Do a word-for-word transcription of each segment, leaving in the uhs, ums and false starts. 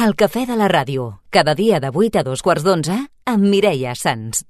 El cafè de la ràdio, cada dia de vuit a dos quarts d'onze, amb Mireia Sans.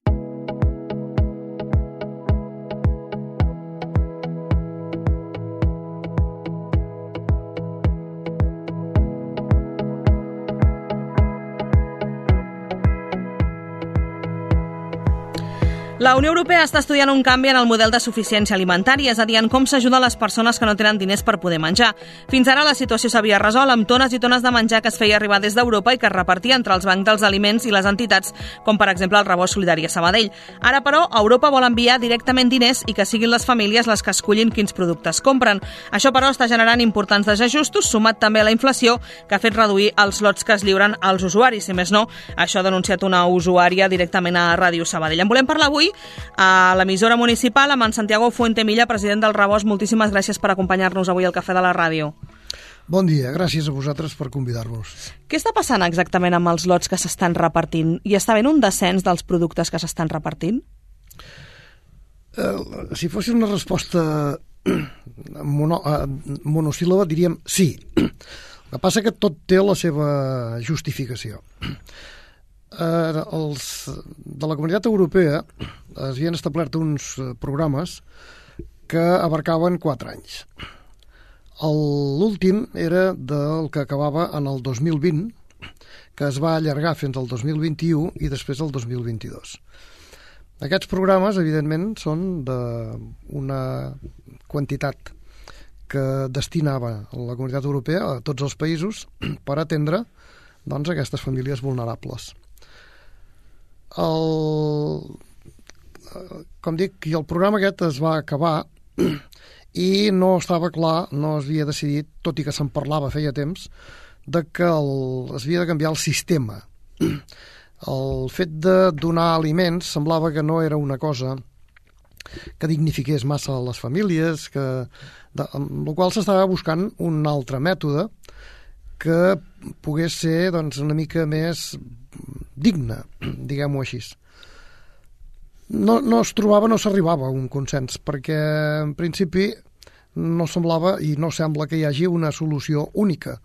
La Unió Europea està estudiant un canvi en el model de suficiència alimentària, és a dir, en com s'ajuda les persones que no tenen diners per poder menjar. Fins ara la situació s'havia resolt amb tones i tones de menjar que es feia arribar des d'Europa i que es repartia entre els bancs dels aliments i les entitats, com per exemple el Rebost Solidari a Sabadell. Ara, però, Europa vol enviar directament diners i que siguin les famílies les que escullin quins productes compren. Això, però, està generant importants desajustos, sumat també a la inflació, que ha fet reduir els lots que es lliuren als usuaris. Si més no, això ha denunciat una usuària directament a Ràdio Sabadell. En volem parlar avui a l'emissora municipal amb en Santiago Fuentemilla, president del Rebost. Moltíssimes gràcies per acompanyar-nos avui al Cafè de la Ràdio. Bon dia, gràcies a vosaltres per convidar-nos. Què està passant exactament amb els lots que s'estan repartint? Hi està havent un descens dels productes que s'estan repartint? Uh, si fos una resposta mono, uh, monosíl·laba, diríem sí. El que passa que tot té la seva justificació. Eh, els de la Comunitat Europea es havien establert uns programes que abarcaven quatre anys. L'últim era del que acabava en el dos mil vint, que es va allargar fins al dos mil vint-i-u i després al dos mil vint-i-dos. Aquests programes, evidentment, són d'una quantitat que destinava la Comunitat Europea a tots els països per atendre, doncs, aquestes famílies vulnerables. El, com dic, el programa aquest es va acabar i no estava clar, no es havia decidit, tot i que se'n parlava feia temps, de que el, es havia de canviar el sistema. El fet de donar aliments semblava que no era una cosa que dignifiqués massa a les famílies, que, de, amb la qual s'estava buscant un altre mètode que pogués ser, doncs, una mica més digne, diguem-ho així. No, no es trobava, no s'arribava a un consens, perquè en principi no semblava i no sembla que hi hagi una solució única,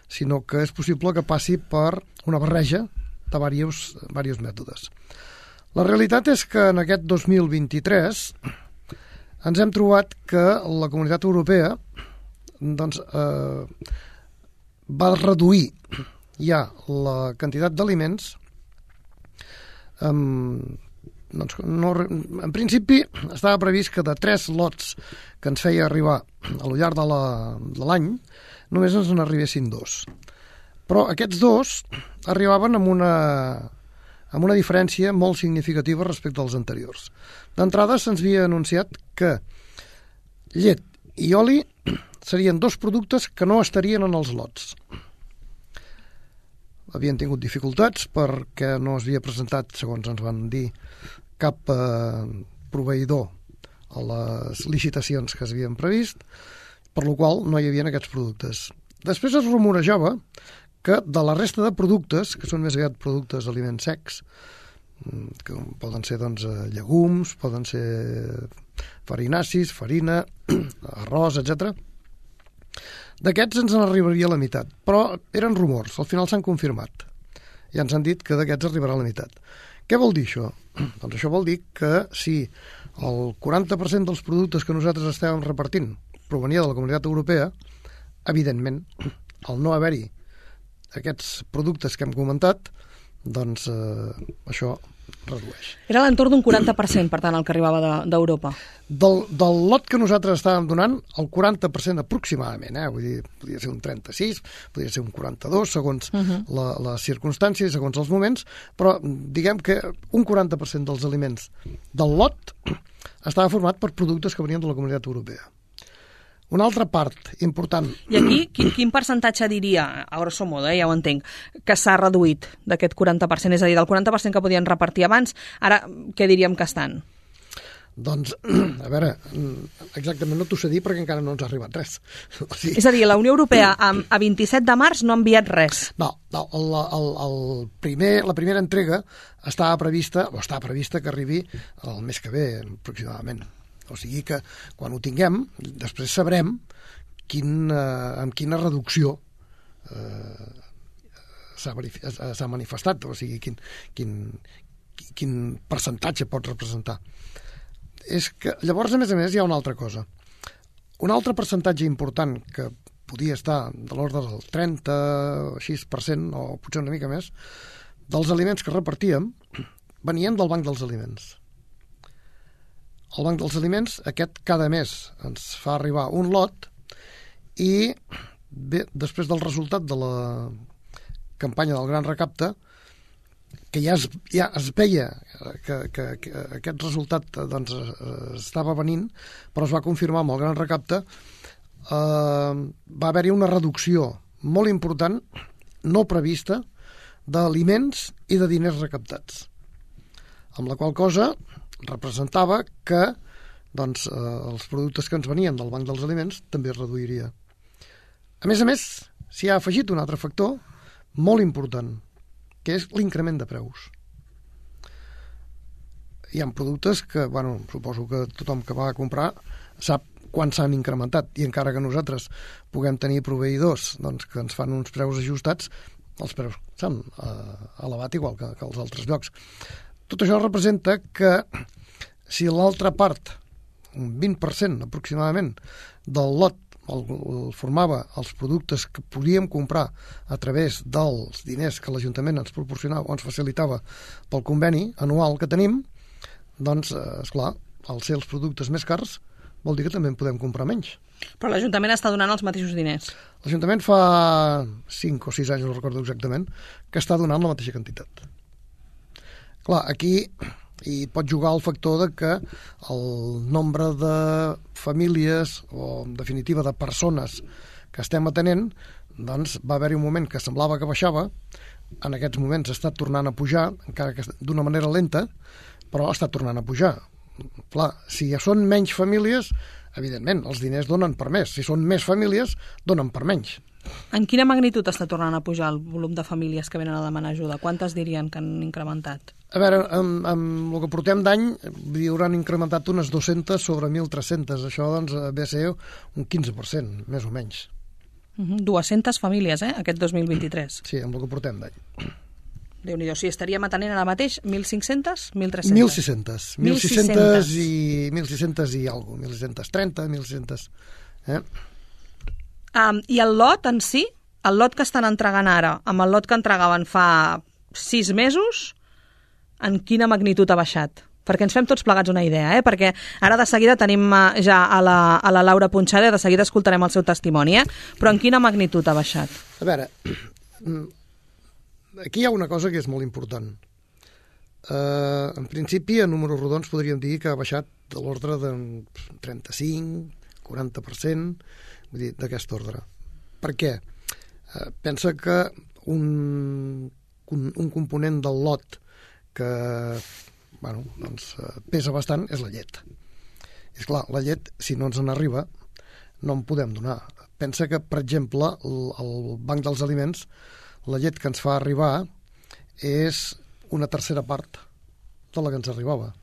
sinó que és possible que passi per una barreja de diversos, diversos mètodes. La realitat és que en aquest dos mil vint-i-tres ens hem trobat que la Comunitat Europea doncs, eh, va reduir ja la quantitat d'aliments. Um, doncs no, en principi estava previst que de tres lots que ens feia arribar al llarg de l'any només ens n'arribessin dos. Però aquests dos arribaven amb una, amb una diferència molt significativa respecte als anteriors. D'entrada se'ns havia anunciat que llet i oli serien dos productes que no estarien en els lots. Havien tingut dificultats perquè no es havia presentat, segons ens van dir, cap eh, proveïdor a les licitacions que s'havien previst, per la qual no hi havia aquests productes. Després es rumorejava que de la resta de productes, que són més aviat productes d'aliments secs, que poden ser doncs, llegums, poden ser farinacis, farina, arròs, etcètera, d'aquests ens n'arribaria la meitat, però eren rumors, al final s'han confirmat. Ja ens han dit que d'aquests arribarà la meitat. Què vol dir això? Doncs això vol dir que si el quaranta per cent dels productes que nosaltres estàvem repartint provenia de la Comunitat Europea, evidentment, al no haver-hi aquests productes que hem comentat, doncs eh, això redueix. Era a l'entorn d'un quaranta per cent, per tant, el que arribava d'Europa. De, del, del lot que nosaltres estàvem donant, el quaranta per cent aproximadament, eh? Vull dir, podria ser un trenta-sis, podria ser un quaranta-dos, segons uh -huh. la, les circumstàncies, segons els moments, però diguem que un quaranta per cent dels aliments del lot estava format per productes que venien de la Comunitat Europea. Una altra part important... I aquí, quin, quin percentatge diria, a grosso modo, eh, ja ho entenc, que s'ha reduït d'aquest quaranta per cent? És a dir, del quaranta per cent que podien repartir abans, ara què diríem que estan? Doncs, a veure, exactament no t'ho sé dir perquè encara no ens ha arribat res. O sigui... És a dir, la Unió Europea a, a vint-i-set de març no ha enviat res. No, no el, el, el primer, la primera entrega estava prevista, o està prevista que arribi el mes que ve, aproximadament. O sigui que quan ho tinguem, després sabrem quin, eh, amb quina reducció eh, s'ha manifestat, o sigui, quin, quin, quin percentatge pot representar. És que, llavors, a més a més, hi ha una altra cosa. Un altre percentatge important que podia estar de l'ordre del trenta o així per cent, o potser una mica més, dels aliments que repartíem venien del Banc dels Aliments. El Banc dels Aliments, aquest cada mes ens fa arribar un lot i bé, després del resultat de la campanya del Gran Recapte, que ja es, ja es veia que, que, que aquest resultat doncs, estava venint, però es va confirmar amb el Gran Recapte, eh, va haver-hi una reducció molt important, no prevista, d'aliments i de diners recaptats. Amb la qual cosa representava que doncs, eh, els productes que ens venien del Banc dels Aliments també es reduiria. A més a més, s'hi ha afegit un altre factor molt important, que és l'increment de preus. Hi ha productes que, bueno, suposo que tothom que va a comprar sap quan s'han incrementat, i encara que nosaltres puguem tenir proveïdors doncs, que ens fan uns preus ajustats, els preus s'han eh, elevat igual que, que als altres llocs. Tot això representa que si l'altra part, un vint per cent aproximadament, del lot el, el formava els productes que podíem comprar a través dels diners que l'Ajuntament ens proporcionava o ens facilitava pel conveni anual que tenim, doncs, esclar, al ser els productes més cars, vol dir que també en podem comprar menys. Però l'Ajuntament està donant els mateixos diners. L'Ajuntament fa cinc o sis anys, no recordo exactament, que està donant la mateixa quantitat. Clar, aquí hi pot jugar el factor de que el nombre de famílies o, en definitiva, de persones que estem atenent, doncs va haver-hi un moment que semblava que baixava, en aquests moments està tornant a pujar, encara que d'una manera lenta, però està tornant a pujar. Clar, si ja són menys famílies, evidentment, els diners donen per més. Si són més famílies, donen per menys. En quina magnitud està tornant a pujar el volum de famílies que venen a demanar ajuda? Quantes dirien que han incrementat? A veure, amb, amb el que portem d'any, hi hauran incrementat unes dues-centes sobre mil tres-cents. Això, doncs, ve a ser un quinze per cent, més o menys. Uh-huh. dues-centes famílies, eh?, aquest dos mil vint-i-tres. Sí, amb el que portem d'any. Déu-n'hi-do, si estaríem atenent ara mateix mil cinc-centes, mil tres-centes? mil sis-centes. mil sis-centes i mil sis-centes i alguna cosa. mil sis-centes trenta, mil sis-centes... Eh? Um, I el lot en si, el lot que estan entregant ara, amb el lot que entregaven fa sis mesos, en quina magnitud ha baixat? Perquè ens fem tots plegats una idea, eh? Perquè ara de seguida tenim ja a la, a la Laura Punxada, de seguida escoltarem el seu testimoni, eh? Però en quina magnitud ha baixat? A veure, aquí hi ha una cosa que és molt important. Uh, en principi, a números rodons podríem dir que ha baixat de l'ordre de trenta-cinc, quaranta per cent, vull dir, d'aquest ordre. Per què? Uh, pensa que un, un, un component del lot que bueno, doncs, pesa bastant és la llet. És clar, la llet, si no ens en arriba, no en podem donar. Pensa que, per exemple, el, el Banc dels Aliments, la llet que ens fa arribar és una tercera part de la que ens arribava.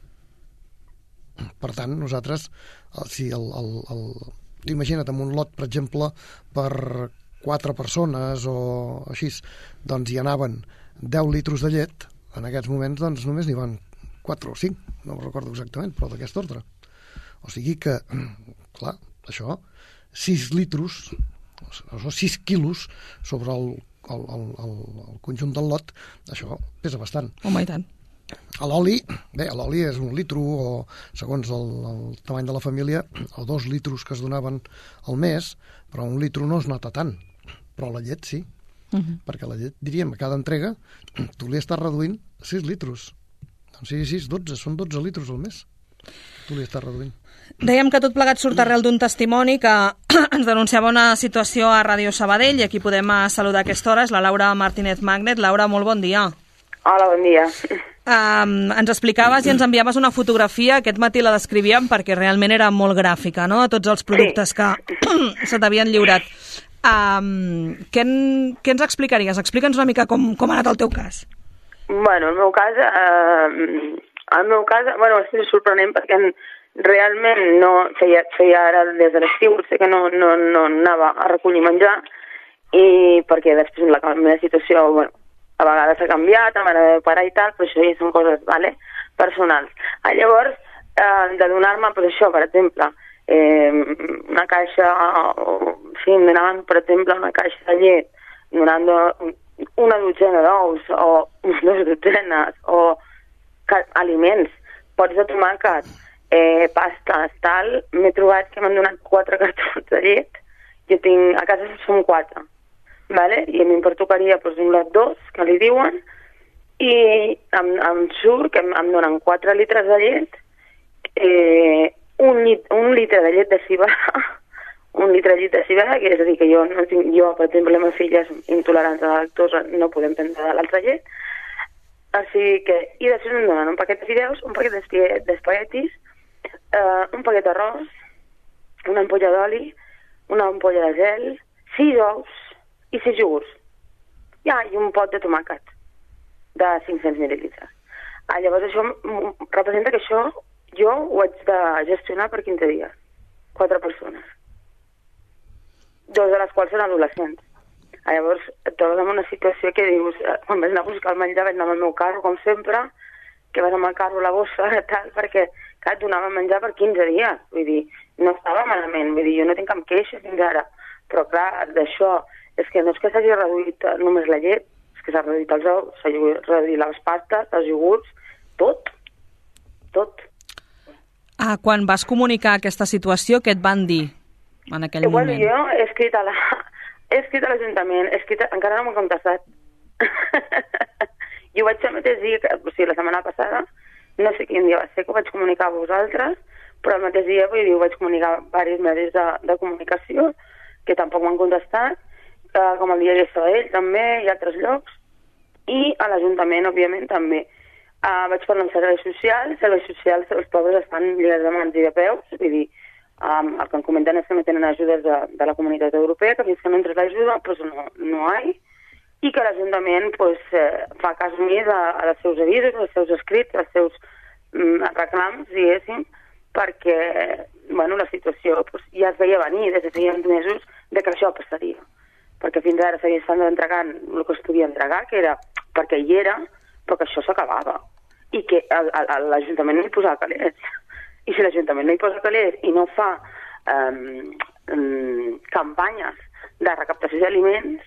Per tant, nosaltres, si el, el, el, imagina't, amb un lot, per exemple, per quatre persones o així, doncs hi anaven deu litres de llet, en aquests moments doncs només n'hi van quatre o cinc, no ho recordo exactament, però d'aquest ordre. O sigui que, clar, això, sis litros, o sis quilos sobre el, el, el, el, el conjunt del lot, això pesa bastant. Home, i tant. A l'oli, bé, l'oli és un litro, o segons el, el tamany de la família, o dos litros que es donaven al mes, però un litro no es nota tant. Però la llet sí, uh-huh. Perquè la llet, diríem, a cada entrega, tu li estàs reduint sis litros. Doncs sí, sis, dotze, són dotze litros al mes. Tu li estàs reduint. Dèiem que tot plegat surt arrel d'un testimoni que ens denunciava una situació a Ràdio Sabadell, i aquí podem saludar a aquesta hora, és la Laura Martínez Magnet. Laura, molt bon dia. Hola, bon dia. Um, ens explicaves i ens enviaves una fotografia, aquest matí la descrivíem perquè realment era molt gràfica, no?, de tots els productes sí. que se t'havien lliurat. Um, què, en, què ens explicaries? Explica'ns una mica com, com ha anat el teu cas. Bueno, el meu cas, eh, el meu cas, bueno, és sorprenent perquè realment no feia, feia ara des de l'estiu, sé que no, no, no anava a recollir menjar, i perquè després la, la meva situació, bueno, a vegades s'ha canviat, a mare de pare i tal, però això ja són coses, vale, personals. Ah, llavors, eh, de donar-me, pues això, per exemple, eh, una caixa, o, sí, em donaven, per exemple, una caixa de llet, donant una dotzena d'ous, o dues dotzenes, o aliments, pots de tomàquet, eh, pastes, tal, m'he trobat que m'han donat quatre cartons de llet, jo tinc, a casa som quatre, vale? I a mi em pertocaria doncs, un lot dos, que li diuen, i em, em surt que em, em donen quatre litres de llet, eh, un, lit, un litre de llet de cibada, un litre de llet de cibada, que és a dir, que jo, no tinc, jo per exemple, la meva filla és intolerant a la lactosa, no podem prendre de l'altra llet, així que, i després em donen un paquet de fideus, un paquet d'espaguetis, eh, un paquet d'arròs, una ampolla d'oli, una ampolla de gel, sis ous i sis iogurts. Ja, i un pot de tomàquet de cinc-cents mil·lilitres. Ah, llavors això representa que això jo ho haig de gestionar per quinze dies. Quatre persones. Dos de les quals són adolescents. Ah, llavors et trobes en una situació que dius, quan vas anar a buscar el menjar vaig anar amb el meu carro, com sempre, que vas amb el carro a la bossa, tal, perquè clar, et donava menjar per quinze dies. Vull dir, no estava malament, vull dir, jo no tinc cap queixa fins ara. Però clar, d'això, és que no és que s'hagi reduït només la llet, és que s'ha reduït els ous, s'ha reduït les pastes, els iogurts, tot, tot. Ah, quan vas comunicar aquesta situació, què et van dir en aquell Igual moment? Jo he escrit a la... He escrit a l'Ajuntament, he escrit... encara no m'ho he contestat. Jo ho vaig el mateix dia, que, o sigui, la setmana passada, no sé quin dia va ser que ho vaig comunicar a vosaltres, però el mateix dia, vull dir, ho vaig comunicar a diversos medis de, de comunicació, que tampoc m'han contestat, eh, com el diari Sabadell també, i altres llocs, i a l'Ajuntament, òbviament, també. Eh, vaig parlar amb serveis socials, serveis socials, els pobres estan lligats de mans i de peus, vull dir, Um, el que em comenten és que no tenen ajudes de, de la Comunitat Europea, que fins que no entres l'ajuda pues no, no hi ha, i que l'Ajuntament pues, eh, fa cas omís a, a els seus avisos, als seus escrits, als seus mm, reclams, diguéssim, perquè bueno, la situació pues, ja es veia venir des de feia mesos de que això passaria. Perquè fins ara s'havia estat entregant el que es podia entregar, que era perquè hi era, però que això s'acabava. I que l'Ajuntament no hi posava calés. I si l'Ajuntament no hi posa calés i no fa um, um, campanyes de recaptació d'aliments,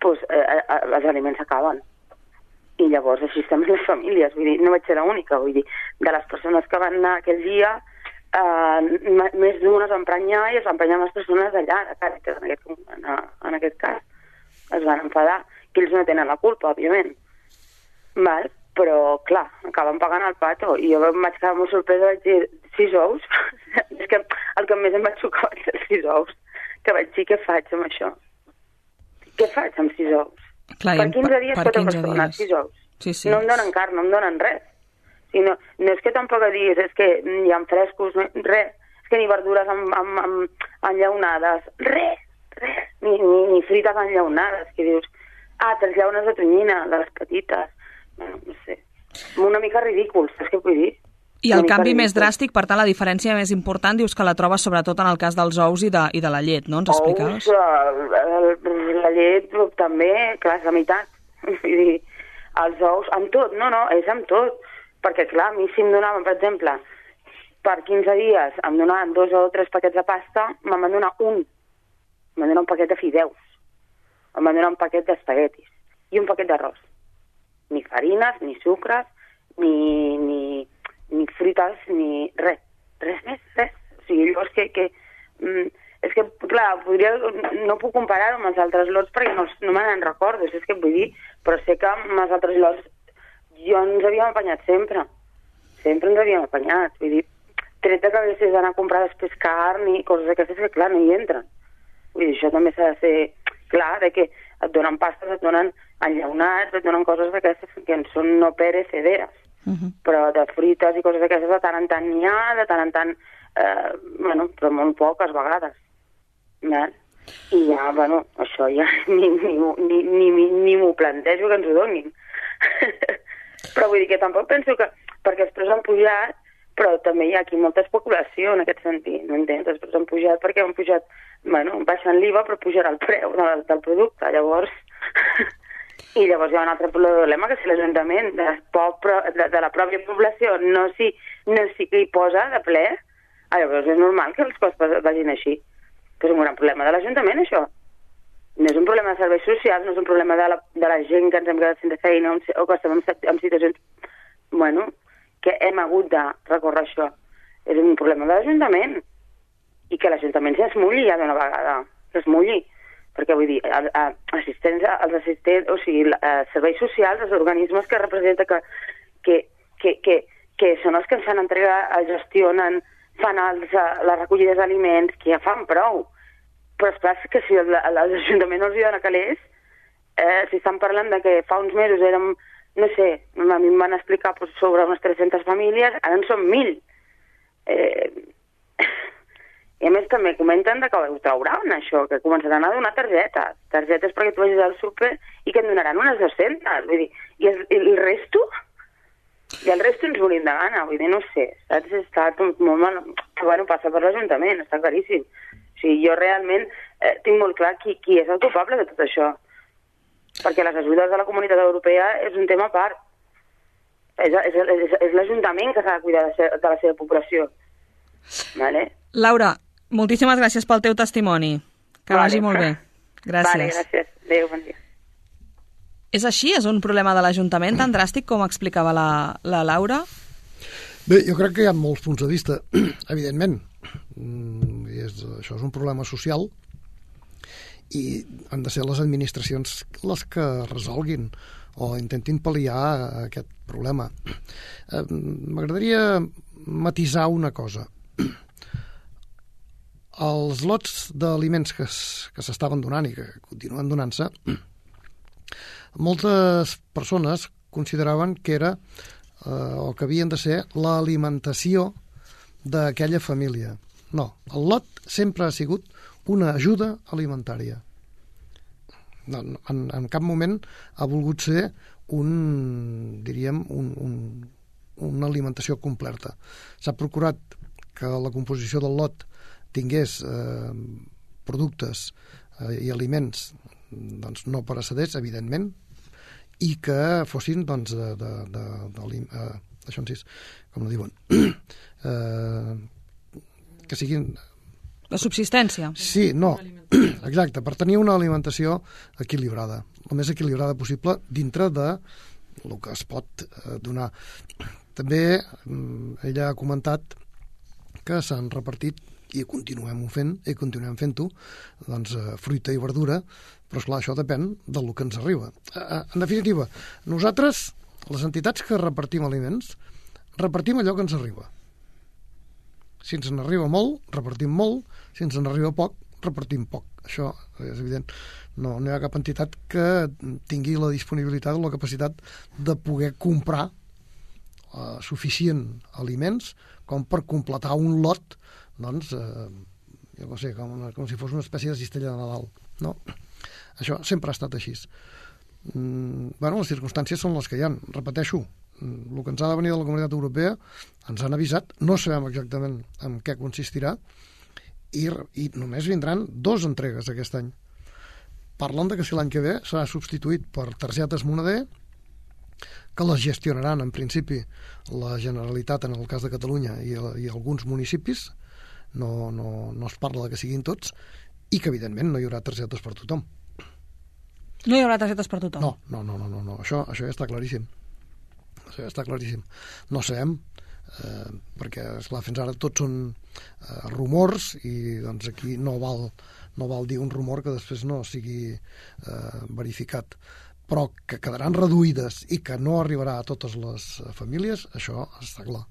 doncs eh, eh, els aliments s'acaben. I llavors així estem les famílies. Vull dir, no vaig ser l'única. Vull dir, de les persones que van anar aquell dia, eh, més d'una es va emprenyar i es va emprenyar les persones d'allà, de Càritas, en aquest, en, en aquest cas. Es van enfadar, que ells no tenen la culpa, òbviament. Val? Però, clar, acaben pagant el pato. I jo em vaig quedar molt sorpresa, vaig dir, sis ous? És que el que més em va xocar va ser sis ous. Que vaig dir, què faig amb això? Què faig amb sis ous? Clar, per quinze dies, per quatre quinze persones, dies. sis ous. Sí, sí. No em donen carn, no em donen res. O sigui, no, no és que tampoc diguis, és que hi ha frescos, no, res. És que ni verdures amb, amb, amb enllaunades, res, res. Ni, ni, ni frites enllaunades, que dius, ah, tres llaunes de tonyina, de les petites. Bueno, no sé, una mica ridícul, saps què vull dir? I el canvi més dràstic, per tant, la diferència més important, dius que la trobes sobretot en el cas dels ous i de, i de la llet, no? Ens explicaves? Ous, el, el, la llet també, clar, és la meitat. Vull dir, els ous, amb tot, no, no, és amb tot. Perquè, clar, a mi si em donaven, per exemple, per quinze dies em donaven dos o tres paquets de pasta, me'n van donar un. Em van donar un paquet de fideus. Em van donar un paquet d'espaguetis. I un paquet d'arròs. Ni farines, ni sucres, ni, ni, ni frites, ni res. Res més, res. O sigui, jo és que, que mm, és que, clar, podria, no puc comparar-ho amb els altres lots perquè no, no me n'en recordo, és que vull dir, però sé que amb els altres lots jo ens havíem apanyat sempre. Sempre ens havíem apanyat. Vull dir, tret de que haguessis d'anar a comprar després carn i coses d'aquestes que, clar, no hi entren. Vull dir, això també s'ha de ser clar, de que et donen pastes, et donen enllaunats, et donen coses d'aquestes que en són no perecederes. Uh -huh. Però de frites i coses d'aquestes de tant en tant n'hi ha, de tant en tant, eh, bueno, però molt poques vegades. Val? I ja, bueno, això ja ni, ni, ni, ni, ni, ni m'ho plantejo que ens ho donin. Però vull dir que tampoc penso que, perquè els preus han pujat, però també hi ha aquí molta especulació en aquest sentit, no entens? Els preus han pujat perquè han pujat, bueno, baixant l'I V A però pujarà el preu del, del producte, llavors I llavors hi ha un altre problema, que si l'Ajuntament de, de, de la pròpia població no s'hi no s'hi posa de ple, llavors és normal que els costos vagin així. Però és un gran problema de l'Ajuntament, això. No és un problema de serveis socials, no és un problema de la, de la gent que ens hem quedat sense feina o que estem en, en situacions, bueno, que hem hagut de recórrer això. És un problema de l'Ajuntament. I que l'Ajuntament s'esmulli ja d'una vegada, s'esmulli. Perquè vull dir, assistència, els assistents, o sigui, serveis socials, els organismes que representen que, que, que, que, que són els que ens han entregat, gestionen, fan els, les recollides d'aliments, que ja fan prou. Però és clar que si l'Ajuntament no els hi dona calés, eh, si estan parlant de que fa uns mesos érem, no sé, a mi em van explicar pues, sobre unes tres-centes famílies, ara en són mil. Eh... I a més també comenten que ho trauran, això, que començaran a donar targetes. Targetes perquè tu vagis al súper i que en donaran unes dues-centes. Vull dir, i el, el resto? I el resto ens morim de gana. Vull dir, no sé, saps? Està tot molt mal. Bueno, passa per l'Ajuntament, està claríssim. O sigui, jo realment eh, tinc molt clar qui, qui és el culpable de tot això. Perquè les ajudes de la Comunitat Europea és un tema a part. És, és, és, és l'Ajuntament que s'ha de cuidar de, ser, de la seva població. Vale? Laura, moltíssimes gràcies pel teu testimoni. Que vale. Vagi molt bé. Gràcies. Vale, gràcies. Adéu, bon dia. És així? És un problema de l'Ajuntament tan dràstic com explicava la, la Laura? Bé, jo crec que hi ha molts punts de vista, evidentment. I és, això és un problema social i han de ser les administracions les que resolguin o intentin pal·liar aquest problema. Eh, m'agradaria matisar una cosa. Els lots d'aliments que, que s'estaven donant i que continuen donant-se, moltes persones consideraven que era eh, o que havien de ser l'alimentació d'aquella família. No, el lot sempre ha sigut una ajuda alimentària. No, en, en cap moment ha volgut ser un, diríem, un, un, una alimentació completa. S'ha procurat que la composició del lot tingués eh, productes eh, i aliments doncs, no pereceders, evidentment, i que fossin doncs, de, de, de, de, eh, això en sis, com no diuen, eh, que siguin... La subsistència. Sí, no, exacte, per tenir una alimentació equilibrada, el més equilibrada possible dintre de el que es pot eh, donar. També ella ha comentat que s'han repartit, i continuem fent, i continuem fent-ho, doncs, fruita i verdura, però esclar, això depèn del que ens arriba. En definitiva, nosaltres, les entitats que repartim aliments, repartim allò que ens arriba. Si ens n'arriba molt, repartim molt, si ens n'arriba poc, repartim poc. Això és evident. No, no hi ha cap entitat que tingui la disponibilitat o la capacitat de poder comprar uh, suficient aliments com per completar un lot, doncs, eh, jo no sé, com, una, com si fos una espècie de cistella de Nadal. No? Això sempre ha estat així. Mm, bueno, les circumstàncies són les que hi ha. Repeteixo, el que ens ha de venir de la Comunitat Europea ens han avisat, no sabem exactament en què consistirà, i, i només vindran dos entregues aquest any. Parlen de que si l'any que ve serà substituït per targetes moneder, que les gestionaran en principi la Generalitat en el cas de Catalunya i, i alguns municipis, no, no, no es parla de que siguin tots, i que evidentment no hi haurà targetes per tothom. No hi haurà targetes per tothom? No, no, no, no, no, no. Això, això ja està claríssim. Això ja està claríssim. No sabem, eh, perquè, esclar, fins ara tots són eh, rumors, i doncs aquí no val, no val dir un rumor que després no sigui eh, verificat, però que quedaran reduïdes i que no arribarà a totes les famílies, això està clar.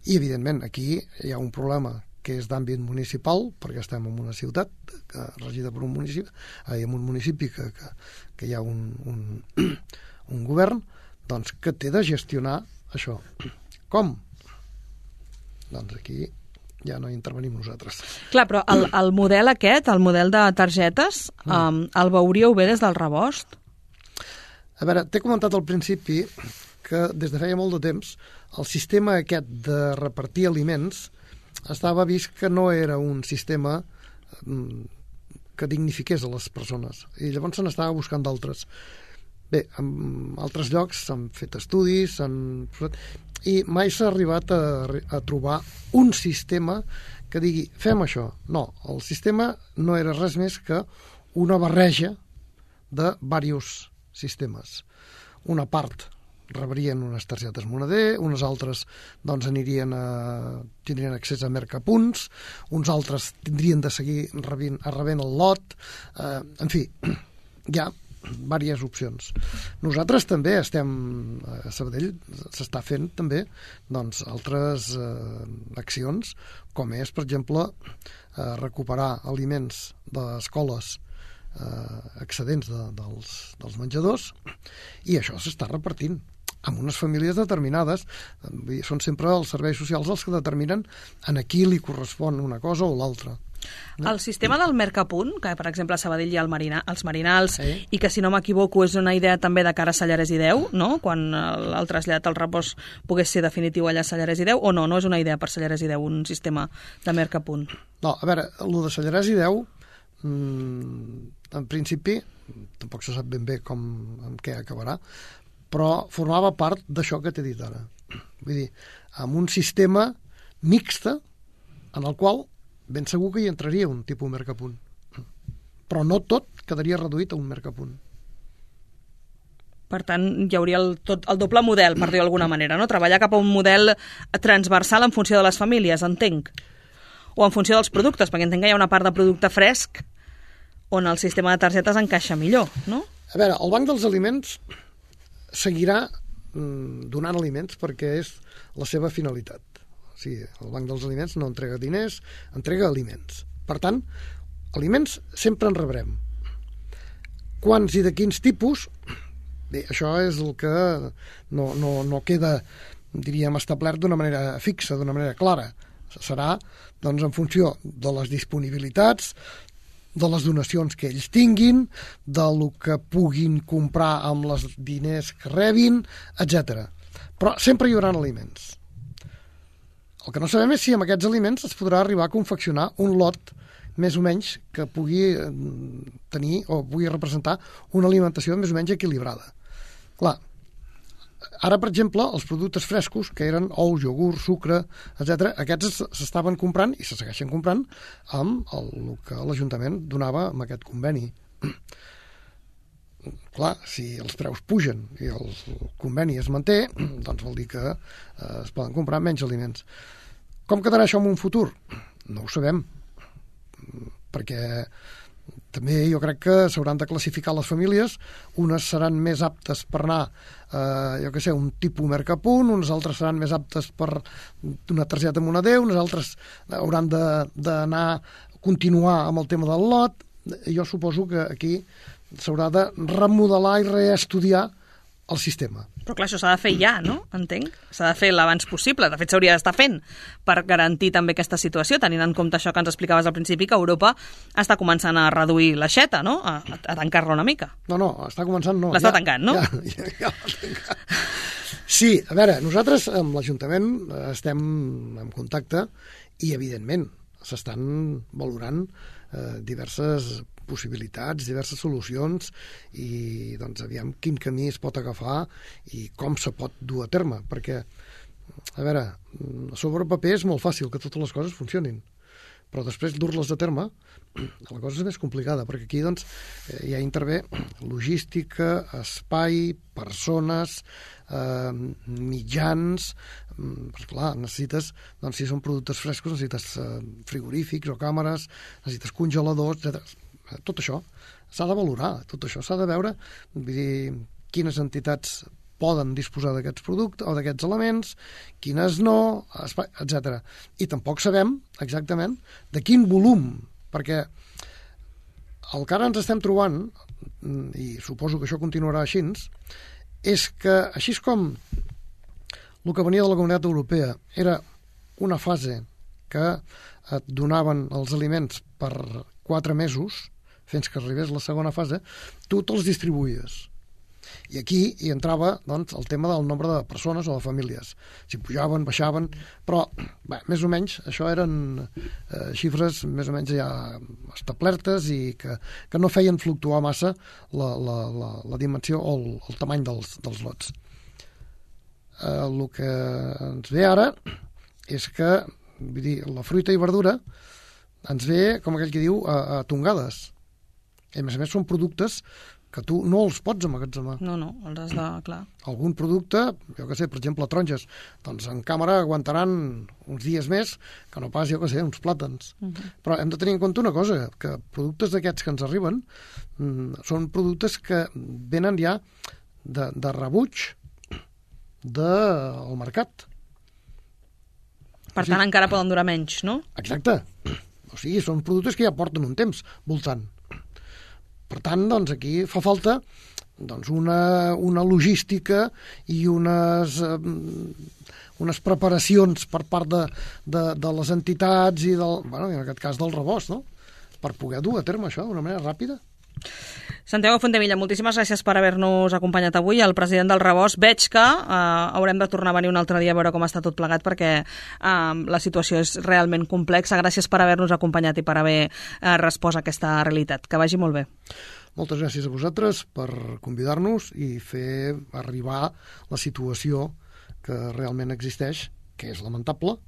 I, evidentment, aquí hi ha un problema que és d'àmbit municipal, perquè estem en una ciutat que, regida per un municipi, eh, en un municipi que, que, que hi ha un, un, un govern, doncs, que té de gestionar això. Com? Doncs aquí ja no hi intervenim nosaltres. Clar, però el, el model aquest, el model de targetes, mm. um, el veuríeu bé des del rebost? A veure, t'he comentat al principi que des de feia molt de temps el sistema aquest de repartir aliments estava vist que no era un sistema que dignifiqués a les persones, i llavors se n'estava buscant d'altres. Bé, en altres llocs s'han fet estudis, s'han... i mai s'ha arribat a, a trobar un sistema que digui, fem això. No, el sistema no era res més que una barreja de diversos sistemes. Una part rebrien unes targetes moneder, unes altres doncs, anirien a, tindrien accés a mercapunts, uns altres tindrien de seguir rebent, rebent el lot, eh, en fi, hi ha diverses opcions. Nosaltres també estem, a Sabadell s'està fent també doncs, altres eh, accions, com és, per exemple, eh, recuperar aliments d'escoles eh, excedents de, dels, dels menjadors, i això s'està repartint amb unes famílies determinades. Són sempre els serveis socials els que determinen a qui li correspon una cosa o l'altra. No? El sistema del Mercapunt, que per exemple a Sabadell hi ha el Marina, els Marinals, sí. I que si no m'equivoco és una idea també de cara a Sallarès i Deu, no? Quan el, el trasllat al repòs pogués ser definitiu allà a Sallarès i Deu, o no, no és una idea per Sallarès i Deu un sistema de Mercapunt? No, a veure, el de Sallarès i Deu mmm, en principi tampoc se sap ben bé com, amb què acabarà, però formava part d'això que t'he dit ara. Vull dir, amb un sistema mixte en el qual ben segur que hi entraria un tipus Mercapunt. Però no tot quedaria reduït a un Mercapunt. Per tant, hi hauria el, tot, el doble model, per dir-ho d'alguna manera, no? Treballar cap a un model transversal en funció de les famílies, entenc. O en funció dels productes, perquè entenc que hi ha una part de producte fresc on el sistema de targetes encaixa millor, no? A veure, el Banc dels Aliments seguirà mm, donant aliments perquè és la seva finalitat. O sigui, el Banc dels Aliments no entrega diners, entrega aliments. Per tant, aliments sempre en rebrem. Quants i de quins tipus? Bé, això és el que no, no, no queda, diríem, establert d'una manera fixa, d'una manera clara. Serà, doncs, en funció de les disponibilitats, de les donacions que ells tinguin, del que puguin comprar amb els diners que rebin, etcètera. Però sempre hi haurà aliments. El que no sabem és si amb aquests aliments es podrà arribar a confeccionar un lot més o menys que pugui tenir o pugui representar una alimentació més o menys equilibrada. Clar, ara, per exemple, els productes frescos, que eren ous, iogurt, sucre, etcètera, aquests s'estaven comprant i se segueixen comprant amb el, el que l'Ajuntament donava amb aquest conveni. Clar, si els preus pugen i el conveni es manté, doncs vol dir que eh, es poden comprar menys aliments. Com quedarà això en un futur? No ho sabem, perquè també jo crec que s'hauran de classificar les famílies. Unes seran més aptes per anar, eh, jo què sé, un tipus Mercapunt, unes altres seran més aptes per una targeta moneder, unes altres hauran d'anar a continuar amb el tema del lot. Jo suposo que aquí s'haurà de remodelar i reestudiar el sistema. Però clar, això s'ha de fer ja, no? Entenc. S'ha de fer l'abans possible. De fet, s'hauria d'estar fent per garantir també aquesta situació, tenint en compte això que ens explicaves al principi, que Europa està començant a reduir l'aixeta, no? A, a tancar-la una mica. No, no, està començant, no. L'està ja, tancant, no? Ja, ja, ja l'ha tancat. Sí, a veure, nosaltres amb l'Ajuntament estem en contacte i, evidentment, s'estan valorant eh, diverses possibilitats, diverses solucions i, doncs, aviam quin camí es pot agafar i com se pot dur a terme, perquè, a veure, sobre paper és molt fàcil que totes les coses funcionin, però després dur-les a terme la cosa és més complicada, perquè aquí, doncs, ja intervé logística, espai, persones, eh, mitjans, perquè, clar, necessites, doncs, si són productes frescos, necessites eh, frigorífics o càmeres, necessites congeladors, etcètera. Tot això s'ha de valorar, tot això s'ha de veure, vull dir, quines entitats poden disposar d'aquests productes o d'aquests elements, quines no, etcètera. I tampoc sabem exactament de quin volum, perquè el que ara ens estem trobant, i suposo que això continuarà així, és que així com el que venia de la Comunitat Europea era una fase que et donaven els aliments per quatre mesos, fins que arribés la segona fase, tu te'ls distribuïes. I aquí hi entrava doncs, el tema del nombre de persones o de famílies. Si pujaven, baixaven, però bé, més o menys això eren eh, xifres més o menys ja establertes i que, que no feien fluctuar massa la, la, la, la dimensió o el, el tamany dels, dels lots. Eh, el que ens ve ara és que vull dir, la fruita i verdura ens ve, com aquell que diu, a, a tongades. I a més a més són productes que tu no els pots emmagatzemar. No, no, els has de... clar. Algun producte, jo què sé, per exemple, taronges, doncs en càmera aguantaran uns dies més que no pas, jo què sé, uns plàtans. Uh -huh. Però hem de tenir en compte una cosa, que productes d'aquests que ens arriben mm, són productes que venen ja de, de rebuig del mercat. Per tant, encara poden durar menys, no? Exacte. O sigui, són productes que ja porten un temps voltant. Per tant, doncs, aquí fa falta doncs, una, una logística i unes, eh, unes preparacions per part de, de, de les entitats i, del, bueno, en aquest cas del rebost, no? Per poder dur a terme això d'una manera ràpida. Santiago Fontevilla, moltíssimes gràcies per haver-nos acompanyat avui. El president del Rebost, veig que eh, haurem de tornar a venir un altre dia a veure com està tot plegat perquè eh, la situació és realment complexa. Gràcies per haver-nos acompanyat i per haver eh, respost a aquesta realitat. Que vagi molt bé. Moltes gràcies a vosaltres per convidar-nos i fer arribar la situació que realment existeix, que és lamentable,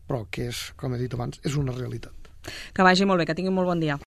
però que és, com he dit abans, és una realitat. Que vagi molt bé, que tingui molt bon dia.